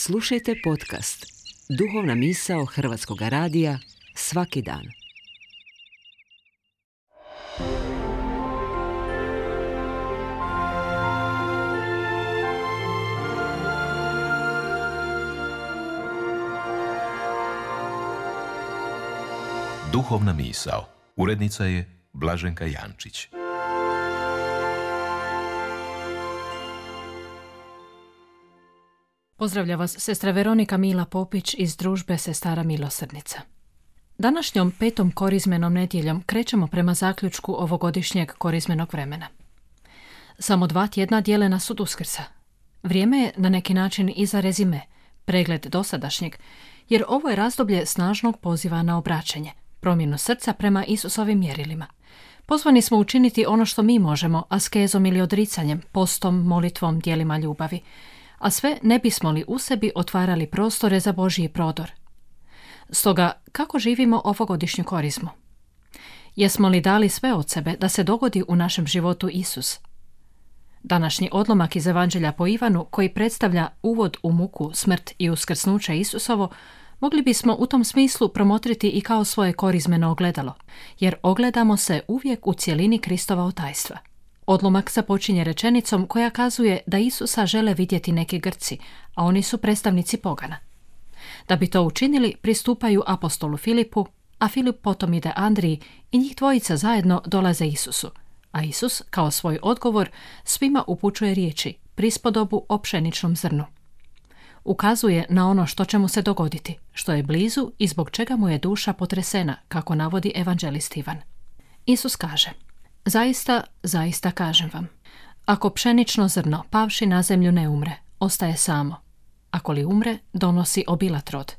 Slušajte podcast Duhovna misao Hrvatskog radija svaki dan. Duhovna misao. Urednica je Blaženka Jančić. Pozdravlja vas sestra Veronika Mila Popić iz družbe Sestara Milosrdnica. Današnjom 5. korizmenom nedjeljom krećemo prema zaključku ovogodišnjeg korizmenog vremena. Samo 2 tjedna dijele nas od Uskrsa. Vrijeme je na neki način i za rezime, pregled dosadašnjeg, jer ovo je razdoblje snažnog poziva na obraćanje, promjenu srca prema Isusovim mjerilima. Pozvani smo učiniti ono što mi možemo, askezom ili odricanjem, postom, molitvom, djelima ljubavi, a sve ne bismo li u sebi otvarali prostore za Božji prodor. Stoga, kako živimo ovogodišnju korizmu? Jesmo li dali sve od sebe da se dogodi u našem životu Isus? Današnji odlomak iz Evanđelja po Ivanu, koji predstavlja uvod u muku, smrt i uskrsnuće Isusovo, mogli bismo u tom smislu promotriti i kao svoje korizmeno ogledalo, jer ogledamo se uvijek u cjelini Kristova otajstva. Odlomak započinje rečenicom koja kazuje da Isusa žele vidjeti neki Grci, a oni su predstavnici pogana. Da bi to učinili, pristupaju apostolu Filipu, a Filip potom ide Andriji i njih dvojica zajedno dolaze Isusu, a Isus, kao svoj odgovor, svima upućuje riječi, prispodobu o pšeničnom zrnu. Ukazuje na ono što će mu se dogoditi, što je blizu i zbog čega mu je duša potresena, kako navodi evanđelist Ivan. Isus kaže: Zaista, zaista kažem vam, ako pšenično zrno pavši na zemlju ne umre, ostaje samo. Ako li umre, donosi obilat rod.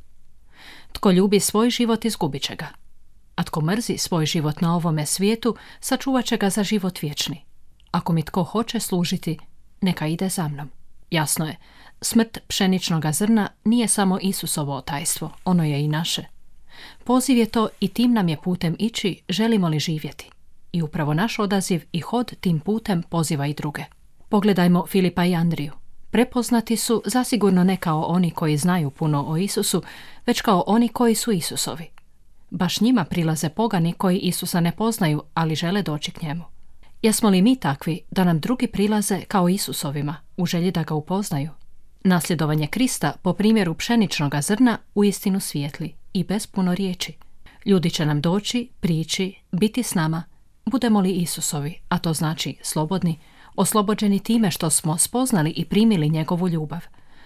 Tko ljubi svoj život, izgubit će ga. A tko mrzi svoj život na ovome svijetu, sačuvat će ga za život vječni. Ako mi tko hoće služiti, neka ide za mnom. Jasno je, smrt pšeničnoga zrna nije samo Isusovo otajstvo, ono je i naše. Poziv je to i tim nam je putem ići, želimo li živjeti. I upravo naš odaziv i hod tim putem poziva i druge. Pogledajmo Filipa i Andriju. Prepoznati su zasigurno ne kao oni koji znaju puno o Isusu, već kao oni koji su Isusovi. Baš njima prilaze pogani koji Isusa ne poznaju, ali žele doći k njemu. Jesmo li mi takvi da nam drugi prilaze kao Isusovima, u želji da ga upoznaju? Nasljedovanje Krista po primjeru pšeničnoga zrna uistinu svijetli i bez puno riječi. Ljudi će nam doći, prići, biti s nama, budemo li Isusovi, a to znači slobodni, oslobođeni time što smo spoznali i primili njegovu ljubav,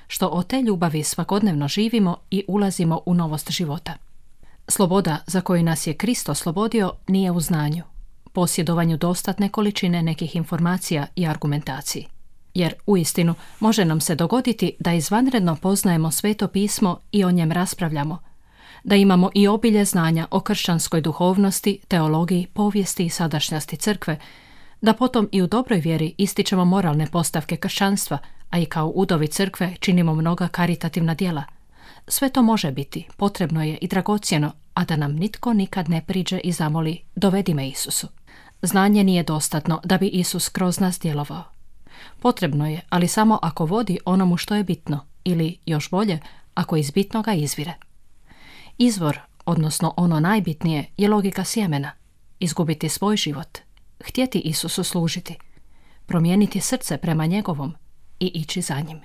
što od te ljubavi svakodnevno živimo i ulazimo u novost života. Sloboda za koju nas je Krist oslobodio nije u znanju, posjedovanju dostatne količine nekih informacija i argumentaciji. Jer uistinu može nam se dogoditi da izvanredno poznajemo Sveto pismo i o njem raspravljamo, da imamo i obilje znanja o kršćanskoj duhovnosti, teologiji, povijesti i sadašnjosti crkve, da potom i u dobroj vjeri ističemo moralne postavke kršćanstva, a i kao udovi crkve činimo mnoga karitativna djela. Sve to može biti, potrebno je i dragocjeno, a da nam nitko nikad ne priđe i zamoli: dovedi me Isusu. Znanje nije dostatno da bi Isus kroz nas djelovao. Potrebno je, ali samo ako vodi onomu što je bitno, ili još bolje, ako iz bitnoga izvire. Izvor, odnosno ono najbitnije, je logika sjemena. Izgubiti svoj život, htjeti Isusu služiti, promijeniti srce prema njegovom i ići za njim.